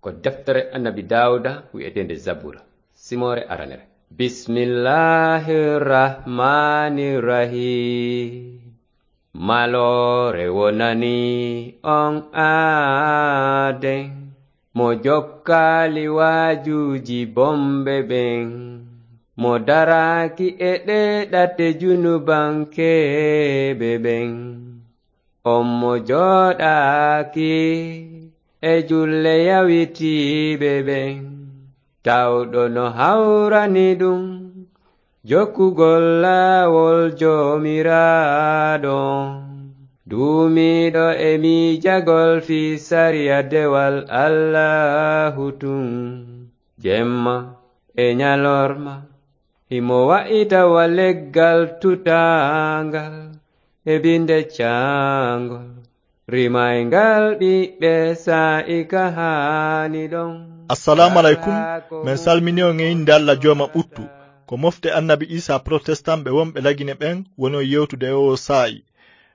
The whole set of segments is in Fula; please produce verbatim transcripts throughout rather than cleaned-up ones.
Ko deftere Annabi Daawuda wi'eteende Zabura, simoore aranere. Bismillahir Rahmanir Rahim. Maloore wonani on aaden, mo jokkaali waajuuji bomɓe ɓen, mo daraaki e ɗee ɗate junubankeeɓe ɓen. On mo jooɗaaki e julle yawitiiɓe ɓen, tawɗo no hawrani ɗum jokkugol laawol Joomiraaɗo, duumiiɗo e miijagol fii sariya dewal Allaahu tun, jemma e ñalorma. Himo wa'ita wa leggal tutaangal e binde caangol, rimayngal ɓiɓɓe saa'i ka haani ɗon. Assalaamu aleykum. Men salmini on e innde Alla Jooma ɓuttu. Ko mofte Annabi Iisaa protestant ɓe wonɓe Lagine ɓen woni on yewtude e oo saa'i.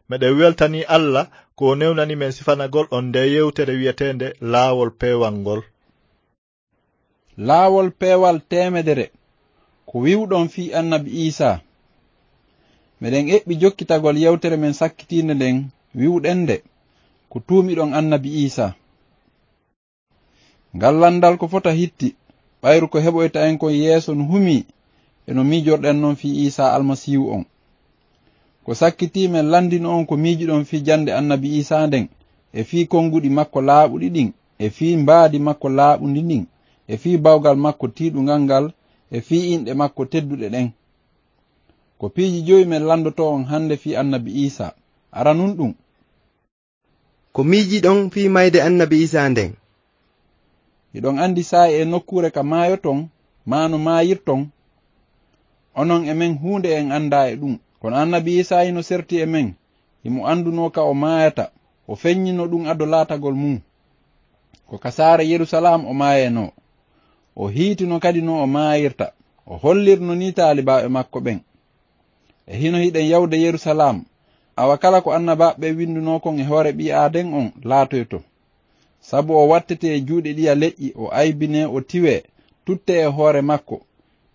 Meɗen weltanii Alla ko o newnani men sifanagol on ndee yewtere wi'eteende Laawol Peewal ngol. Laawol peewal teemedere. Ko wi'uɗon fii Annabi Iisaa? Meɗen eɓɓi jokkitagol yewtere men sakkitiinde nden, wi'uɗen nde, ko tuumiɗon Annabi Iisaa. Ngal lanndal ko fota hitti, ɓayru ko heɓoyta en kon yeeso no humii, e no miijorɗen non fii Iisaa Almasiihu on. Ko sakkitii men lanndino on ko miijiɗon fii jannde Annabi Iisaa nden, e fii konnguɗi makko laaɓuɗi ɗin, e fii mbaadi makko laaɓundi ndin, e fii bawgal makko tiiɗungal ngal, e fii inɗe makko tedduɗe ɗen. Ko piiji jowi men lanndotoo on hannde fii Annabi Iisaa. Aranun ɗum. Ko miijiɗon fii mayde Annabi Iisaa nden? Hiɗon anndi saa'i e nokkuure ka maayoton, maa no maayirton? Onon e men huunde en anndaa e ɗum. Kono Annabi Iisaa hino serti e men, himo anndunoo ka o maayata, o feññino ɗum ado laatagol mum. Ko ka saare Yerusalaam o maayenoo. O hiitino kadi no o maayirta, o hollirno nii taalibaaɓe makko ɓen. E hino hiɗen yawude Yerusalaam, awa kala ko annabaaɓe ɓen winndunoo kon e hoore ɓii Aaden on laatoyto. Sabu o wattete e juuɗe ɗiya leƴƴi, o aybinee, o tiwee, tuttee e hoore makko.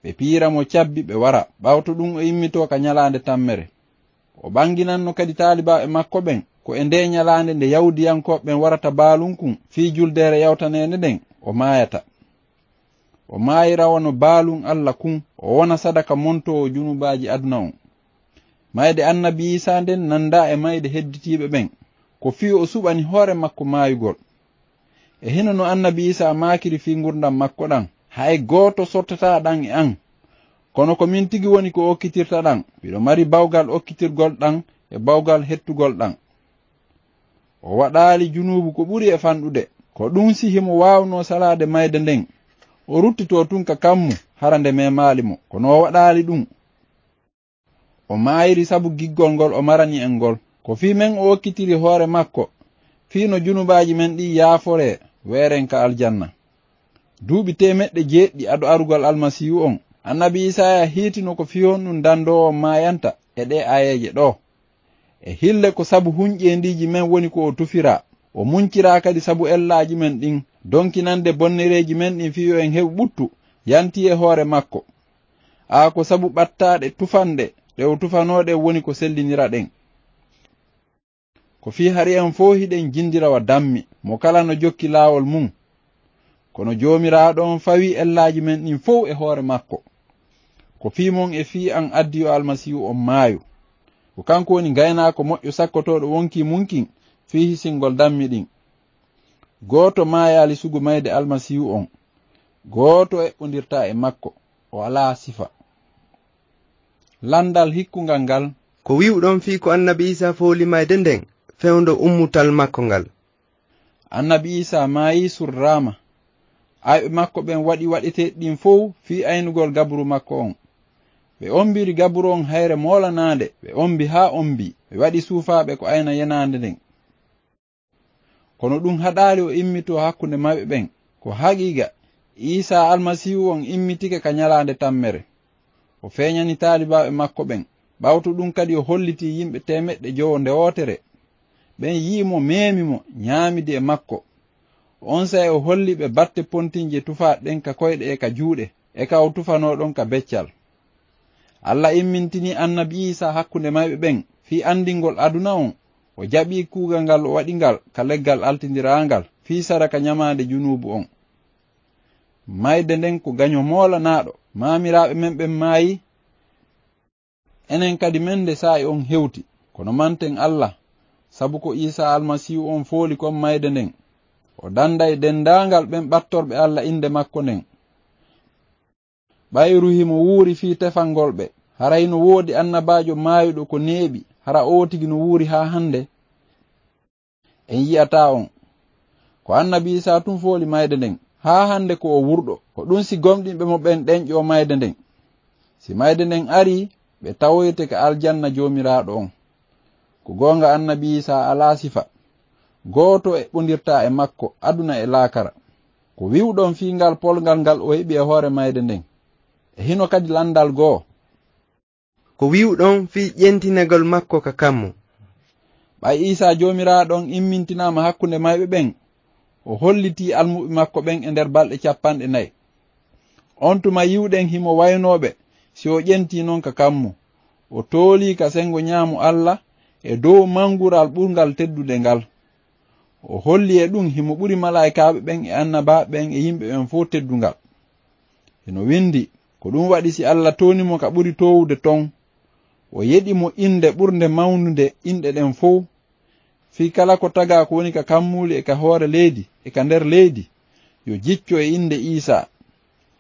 Ɓe piyira mo cabbi, ɓe wara. Ɓawto ɗum o immitoo ka ñalaande tammere. O ɓannginanno kadi taalibaaɓe makko ɓen, ko e ndee ñalaande nde Yahuudiyankooɓe ɓen warata baalun kun fii juldeere yawtaneende nden, o maayata. O maayira wano baalun Alla kun, o wona sadaka montoowo junubaaji aduna on. Mayde Annabi Iisaa nden nanndaa e mayde hedditiiɓe ɓen, ko fii o suɓani hoore makko maayugol. E hino no Annabi Iisaa maakiri fii ngurndan makko ɗan, hay gooto sottataa ɗan e an. Kono ko min tigi woni ko okkitirta ɗan, miɗo mari bawgal okkitirgol ɗan e bawgal hettugol ɗan. O waɗaali junuubu ko ɓuri e fanɗude. Ko ɗun si himo waawnoo salaade mayde nden, o ruttitoo tun ka kammu, hara nde memaali mo. Kono o waɗaali ɗun. O maayiri sabu giggol ngol o marani en ngol. Ko fii men o okkitiri hoore makko, fii no junubaaji men ɗin yaaforee, weeren ka aljanna. Duuɓi teemeɗɗe jeeɗiɗi ado arugol Almasiihu on, Annabi Iisaaya hiitino ko fii honɗun dandoowo on maayanta e ɗee aayeeje ɗoo. E hille ko sabu hunƴeendiiji men woni ko o tufiraa, o munciraa kadi sabu ellaaji men ɗin, donkinande bonnereeji men ɗin fii yo en heɓu ɓuttu, yanti e hoore makko. Aa ko sabu ɓattaaɗe tufanɗe ɗe o tufanoo ɗen woni ko sellinira ɗen. Ko fii hari en fow hiɗen jindira wa dammi, mo kala no jokki laawol mun. Kono Joomiraaɗo on fawii ellaaji men ɗin fow e hoore makko. Ko fii mon e fii an addi yo Almasiihu on maayu. Ko kanko woni ngaynaako moƴƴo sakkotooɗo wonkii mun kin fii hisingol dammi ɗin. Gooto maayaali sugu mayde Almasiihu on. Gooto eɓɓondirtaa e makko. O alaa sifa. Landal hikkungal ngal. Ko wi'uɗon fii ko Annabi Iisaa fooli mayde nden, fewndo ummutal makko ngal? Annabi Iisaa maayii, surraama. Ayɓe makko ɓen waɗi waɗeteeɗi ɗin fow fii aynugol gaburu makko on. Ɓe ombiri gaburu on hayre moolanaande, ɓe ombi haa ombi, ɓe waɗi suufaaɓe ko ayna yenaande nden. Kono ɗun haɗaali o immitoo hakkunde maɓɓe ɓen. Ko haqiiqa, Iisaa Almasiihu on immitike ka ñalaande tammere. O feeñani taalibaaɓe makko ɓen. Ɓawto ɗun kadi o hollitii yimɓe teemeɗɗe jowo nde wootere. Ɓen yi'i mo, meemi mo, ñaamidi e makko. Onsay o holli ɓe batte pontinje tufaaɗe ɗen ka koyɗe e ka juuɗe, e ka o tufanoo ɗon ka beccal. Alla immintinii annabi Iisaa hakkunde mayɓe ɓen, fii anndingol aduna on, o jaɓii kuugal ngal o waɗi ngal ka leggal altindiraangal, fii sadaka ɲamaande junuubu on. Mayde nden ko gaɲo moolanaaɗo, maamiraaɓe men ɓen maayi, enen kadi men de saa'i on hewti, kono manten Alla, sabu ko Iisaa Almasiihu on fooli kon mayde nden. O danday denndaangal ɓen ɓattorɓe Alla innde makko nden. Ɓayru himo wuuri fii tefangol ɓe, hara hino woodi annabaajo maayuɗo ko neeɓi, hara oo tigi no wuuri haa hande? En yi'ataa on. Ko annabi Iisaa tun fooli mayde nden, haa hande ko o wurɗo. Ko ɗun si gomɗinɓe mo ɓen ɗenƴoo mayde nden. Si mayde nden arii, ɓe tawoyte ka aljanna Joomiraaɗo on. Ko goonga annabi Iisaa alaa sifa. Gooto eɓɓondirtaa e makko aduna e laakara. Ko wi'uɗon fii ngal polngal ngal o heɓi e hoore mayde nden? E hino kadi landal goo. Ko wi'uɗon fii ƴentinagol makko ka kammu? Ɓay Iisaa Joomiraaɗo on immintinaama hakkunde mayɓe ɓen, o hollitii almuɓɓe makko ɓen e nder balɗe cappanɗe nayi. On tuma yi'uɗen himo waynoo ɓe si o ƴentii non ka kammu. O toolii ka sengo ɲaamo Alla e dow mangural ɓurngal teddude ngal. O holli e ɗun himo ɓuri malaa'ikaaɓe ɓen e annabaaɓe ɓen e yimɓe ɓen fow teddungal. Hino windi, ko ɗun waɗi si Alla tooni mo ka ɓuri toowude ton, o yeɗi mo innde ɓurnde mawnude inɗe ɗen fow. Fii kala ko tagaa ko woni ka kammuuli e ka hoore leydi e ka nder leydi, yo jicco e innde Iisaa.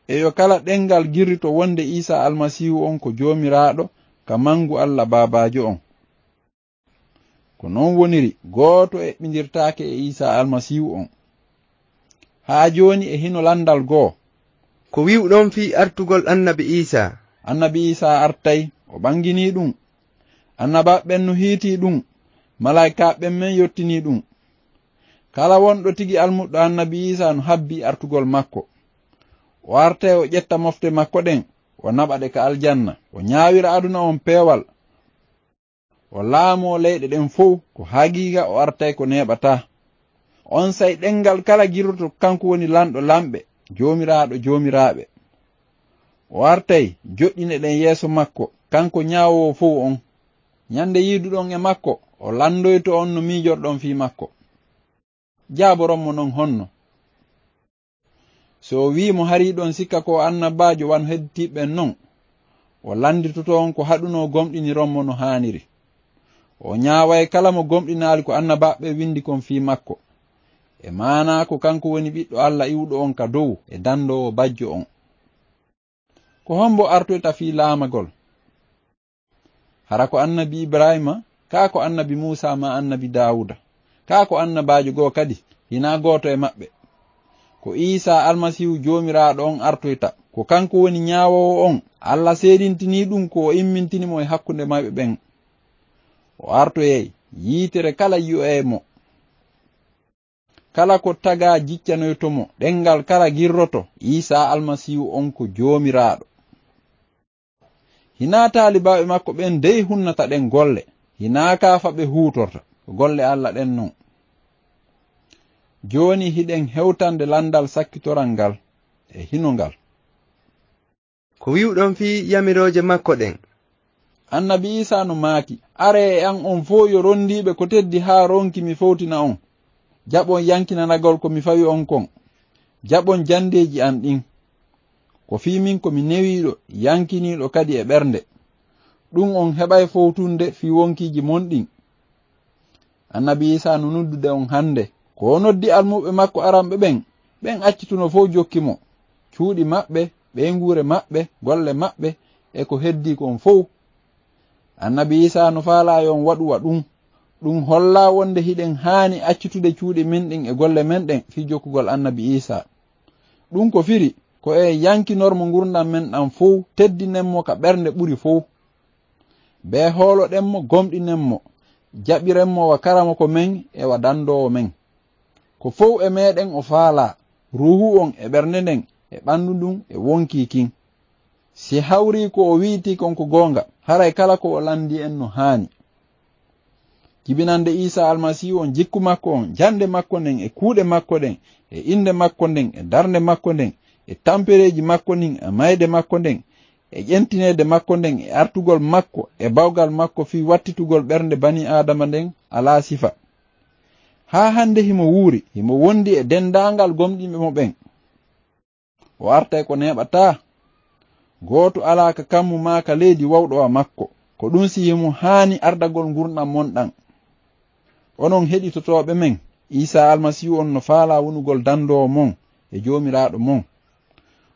E yo kala ɗenngal girrito wonde Iisaa Almasiihu on ko Joomiraaɗo ka mangu Alla Baabaajo on. Ko non woniri, gooto eɓɓindirtaake e Iisaa Almasiihu on. Haa jooni e hino landal goo. Ko wi'uɗon fii artugol annabi Iisaa? Annabi Iisaa artay, o ɓanginii ɗun. Annabaaɓe ɓen no hiitii ɗun, malaa'ikaaɓe ɓen men yottinii ɗun. Kala wonɗo tigi almuɗɗo annabi Iisaa no habbii artugol makko. O artay o ƴetta mofte makko ɗen, o naɓa ɗe ka aljanna, o ɲaawira aduna on peewal. O laamoo leyɗe ɗen fow, ko haqiiqa o artay ko neeɓataa. Onsay ɗenngal kala girroto kanko woni lanɗo lanɓe, Joomiraaɗo joomiraaɓe. O artay joɗɗine ɗen yeeso makko, kanko ɲaawoowo fow on. Ɲande yiiduɗon e makko, o landoyto on no miijorɗon fii makko. Jaaboron mo non honno? Si o wi'i mo hari hiɗon sikka ko o annabaajo wano hedditiiɓe ɓen non, o landitoto on ko haɗunoo gomɗiniron mo no haaniri. O ɲaaway kala mo gomɗinaali ko annabaaɓe ɓen windi kon fii makko. E maanaa ko kanko woni ɓiɗɗo Alla iwɗo on ka dow e dandoowo bajjo on. Ko hombo artoyta fii laamagol? Hara ko annabi Ibrahiima, kaa ko annabi Muusaa maa annabi Daawuda, kaa ko annabaajo goo kadi, hinaa gooto e maɓɓe. Ko Iisaa Almasiihu Joomiraaɗo on artoyta, ko kanko woni ɲaawoowo on, Alla seedintinii ɗun ko o immintini mo e hakkunde mayɓe ɓen. O artoyay, yiitere kala yi'oyay mo. Kala ko tagaa jiccanoyto mo, ɗenngal kala girroto, Iisaa Almasiihu on ko Joomiraaɗo. Hinaa taalibaaɓe makko ɓen dey hunnata ɗen golle, hinaa kaafa ɓe huutorta, ko golle Alla ɗen non. Jooni hiɗen hewtande landal sakkitoral ngal e hino ngal. Ko wi'uɗon fii yamirooje makko ɗen? Annabi Iisaa no maaki, aree e an on fow yo rondiiɓe ko teddi haa ronki mi fowtina on. Jaɓon yankinanagol ko mi fawi on kon. Jaɓon jandeeji an ɗin. Ko fii min ko mi newiiɗo, yankiniiɗo kadi e ɓernde. Ɗun on heɓay fowtunde fii wonkiiji mon ɗin. Annabi Iisaa no noddude on hande. Ko o noddi almuɓɓe makko aranɓe ɓen, ɓen accituno fow jokki mo. Cuuɗi maɓɓe, ɓeynguure maɓɓe, golle maɓɓe, e ko heddii kon fow. Annabi Iisaa no faalaa yo on waɗu wa ɗun. Ɗun hollaa wonde hiɗen haani accitude cuuɗi men ɗin e golle men ɗen fii jokkugol annabi Iisaa. Ɗun ko firi, ko en yankinor mo ngurndan men ɗan fow, teddinen mo ka ɓernde ɓuri fow. Bee hooloɗen mo, gomɗinen mo, jaɓiren mo wa karamoko men e wa dandoowo men. Ko fow e meɗen o faalaa, ruuhu on e ɓernde nden e ɓandu ndun e wonkii kin. Si hawrii ko o wi'itii kon ko goonga, haray kala ko o landii en no haani. Jibinande Iisaa Almasiihu on jikku makko on, jannde makko nden e kuuɗe makko ɗen, e innde makko nden e darnde makko nden, e tampereeji makko ndin e mayde makko nden, e ƴentineede makko nden e artugol makko e bawgal makko fii wattitugol ɓernde banii Aadama nden alaa sifa. Haa hannde himo wuuri, himo wondi e denndaangal gomɗinɓe mo ɓen. O artay ko neeɓataa. Gooto alaa ka kammu maa ka leydi wawɗo wa makko. Ko ɗun si himo haani ardagol ngurndan mon ɗan. Onon heɗitotooɓe men, Iisaa Almasiihu on no faalaa wonugol dandoowo mon e Joomiraaɗo mon.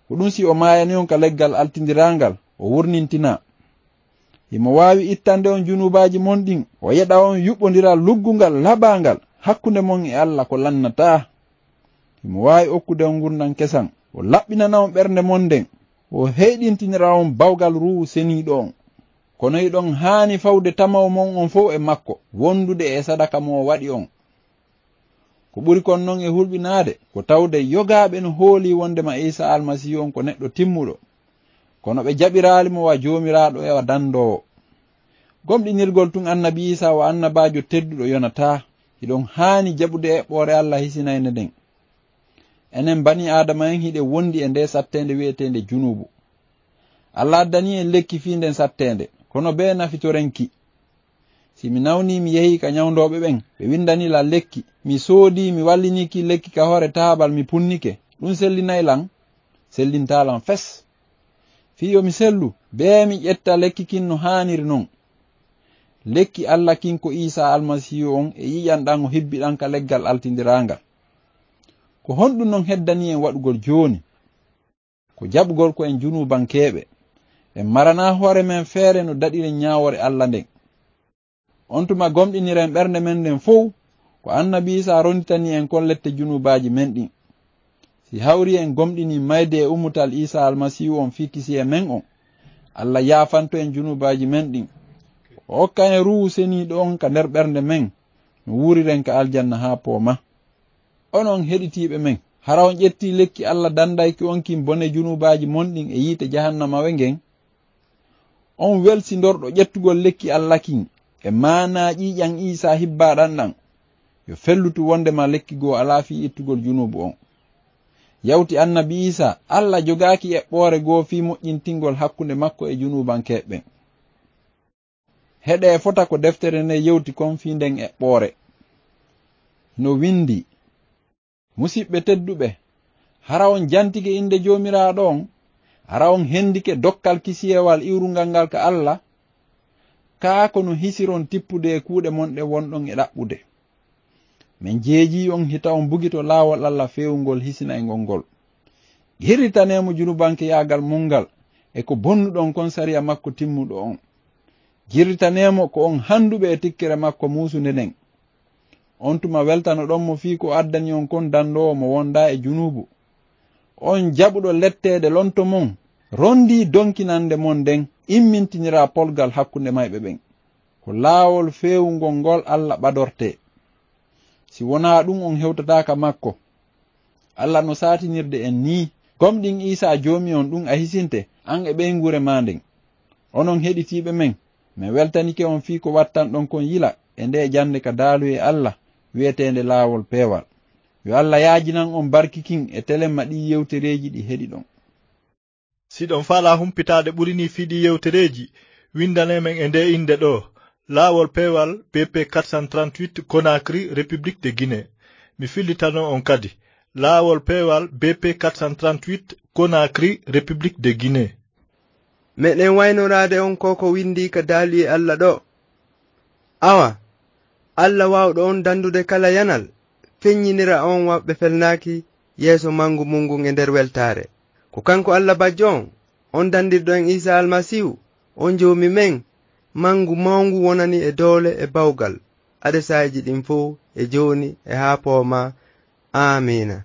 Ko ɗun si o maayani on ka leggal altindiraangal, o wurnintinaa. Himo waawi ittande on junuubaaji mon ɗin, o yeɗa on yuɓɓondiral luggungal laɓaangal hakkunde mon e Alla ko lannataa. Himo waawi okkude on ngurndan kesan, o laɓɓinana on ɓernde mon nden, o heyɗintinira on bawgal Ruuhu Seniiɗo on. Kono hiɗon haani fawde tamaw mon on fow e makko, wondude e sadaka mo o waɗi on. Ko ɓuri kon non e hulɓinaade, ko tawde yogaaɓe no hoolii wondema Iisaa Almasiihu on ko neɗɗo timmuɗo, kono ɓe jaɓiraali mo wa Joomiraaɗo e wa dandoowo. Gomɗinirgol tun annabi Iisaa wa annabaajo tedduɗo yonataa. Hiɗon haani jaɓude eɓɓoore Alla hisinaynde nden. Enen banii Aadama en hiɗen wondi e ndee satteende wi'eteende junuubu. Alla addanii en lekki fii nden satteende, kono bee nafitoren ki? Si mi nawnii, mi yehii ka ɲawndooɓe ɓen, ɓe winndanii lan lekki, mi soodii, mi wallinii ki lekki ka hoore taabal, mi punnike, ɗun sellinay lan? Sellintaa lan fes. Fii yo mi sellu, bee mi ƴetta lekki kin no haaniri non. Lekki Alla kin ko Iisaa Almasiihu on e ƴiiƴan ɗan o hibbi ɗan ka leggal altindiraangal. Ko honɗun non heddanii en waɗugol jooni? Ko jaɓugol ko en junuubankeeɓe. En maranaa hoore men feere no daɗiren ɲaawoore Alla nden. On tuma gomɗiniren ɓernde men nden fow, ko annabi Iisaa ronditanii en kon lette junuubaaji men ɗin. Si hawrii en gomɗinii mayde e ummutal Iisaa Almasiihu on fii kisiyee men on, Alla yaafanto en junuubaaji men ɗin. O okka en Ruuhu Seniiɗo on ka nder ɓernde men, no wuuriren ka aljanna haa poomaa. Onon heɗitiiɓe men, hara on ƴettii lekki Alla dandayki on kin bone junuubaaji mon ɗin e yiite jahannamawe ngen? On welsindorɗo ƴettugol lekki Alla kin e maanaa ƴiiƴan Iisaa hibbaaɗan ɗan, yo fellutu wondema lekki goo alaa fii ittugol junuubu on. Yawti annabi Iisaa, Alla jogaaki eɓɓoore goo fii moƴƴintingol hakkunde makko e junuubankeeɓe ɓen. Heɗee fota ko deftere nden yewti kon fii nden eɓɓoore. No windii, Musiɓɓe tedduɓe, hara on jantike innde Joomiraaɗo on? Hara on hendike dokkal kisiyewal iwrungal ngal ka Alla? Kaa ko no hisiron tippude e kuuɗe mon ɗen wonɗon e ɗaɓɓude. Men jeejii on hita on bugito laawol Alla feewungol hisinayngol ngol. Girritanee mo junubankeyaagal mon ngal e ko bonnuɗon kon sariya makko timmuɗo on. Girritanee mo ko on handuɓe e tikkere makko muusunde nden. On tuma weltanoɗon mo fii ko addani on kon dandoowo mo wondaa e junuubu. On jaɓuɗo letteede lonto mon, rondii donkinande mon nden immintiniraa polgal hakkunde mayɓe ɓen. Ko laawol feewungol ngol Alla ɓadortee. Si wonaa ɗun, on hewtataa ka makko. Alla no saatinirde en nii, gomɗin Iisaa Joomi on, ɗun a hisinte, an e ɓeynguure maa nden. Onon heɗitiiɓe men, men weltanike on fii ko wattanɗon kon yila e ndee jannde ka daaluye Alla wi'eteende Laawol Peewal. Yo Alla yaajinan on barki kin e telemma ɗii yewtereeji ɗi heɗiɗon. Si ɗon faalaa humpitaade ɓuri nii fii ɗii yewtereeji, windanee men e ndee innde ɗoo, Laawol Peewal, B P quatre cent trente-huit, Conakry, République de Guinée. Mi fillitano on kadi, Laawol Peewal, B P quatre cent trente-huit, Conakry, République de Guinée. Meɗen waynoraade on ko ko windii ka daaluye Alla ɗoo. Awa, Alla waawɗo on dandude kala yanal, feññinira on waɓɓe felnaaki yeeso mangu mun ngun e nder weltaare. Ko kanko Alla bajjo on, on dandirɗo en Iisaa Almasiihu, on Joomi men, mangu mawngu wonani e doole e bawgal, adesaaji ɗin fow, e jooni, e haa poomaa. Aamiina.